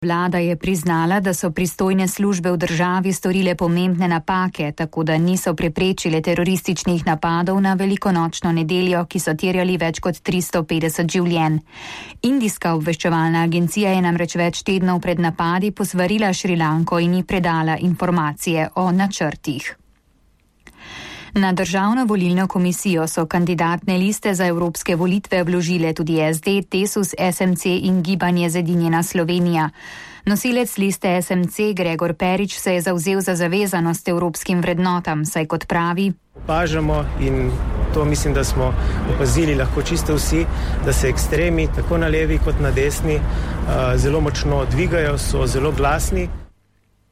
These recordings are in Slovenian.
Vlada je priznala, da so pristojne službe v državi storile pomembne napake, tako da niso preprečile terorističnih napadov na velikonočno nedeljo, ki so terjali več kot 350 življenj. Indijska obveščevalna agencija je namreč več tednov pred napadi posvarila Šrilanko in ji predala informacije o načrtih. Na Državno volilno komisijo so kandidatne liste za evropske volitve vložile tudi SD, Desus, SMC in Gibanje Zedinjena Slovenija. Nosilec liste SMC Gregor Perič se je zavzel za zavezanost evropskim vrednotam, saj kot pravi: Opažamo in to mislim, da smo opazili lahko čisto vsi, da se ekstremi tako na levi kot na desni zelo močno dvigajo, so zelo glasni.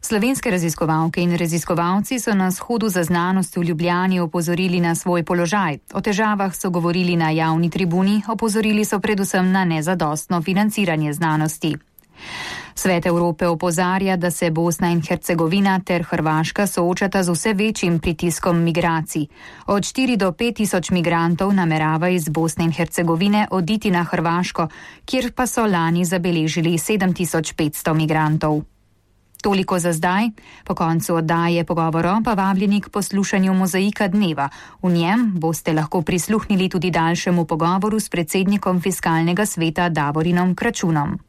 Slovenske raziskovalke in raziskovalci so na shodu za znanost v Ljubljani opozorili na svoj položaj. O težavah so govorili na javni tribuni, opozorili so predvsem na nezadostno financiranje znanosti. Svet Evrope opozarja, da se Bosna in Hercegovina ter Hrvaška soočata z vse večjim pritiskom migracij. Od 4 do 5 tisoč migrantov namerava iz Bosne in Hercegovine oditi na Hrvaško, kjer pa so lani zabeležili 7500 migrantov. Toliko za zdaj. Po koncu oddaje Pogovoro pa vabljeni k poslušanju Mozaika dneva. V njem boste lahko prisluhnili tudi daljšemu pogovoru s predsednikom Fiskalnega sveta Davorinom Kračunom.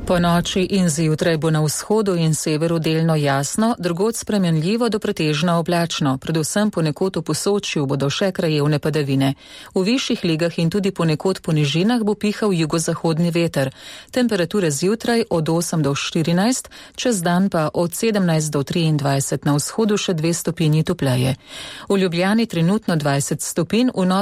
Po noči in zjutraj bo na vzhodu in severu delno jasno, drugod spremenljivo do pretežno oblačno, predvsem ponekod v Posočju bodo še krajevne padavine. V višjih legah in tudi ponekod po nižinah bo pihal jugozahodni veter. Temperature zjutraj od 8 do 14, čez dan pa od 17 do 23, na vzhodu še 2 stopinji topleje. V Ljubljani trenutno 20 stopinj, v Novem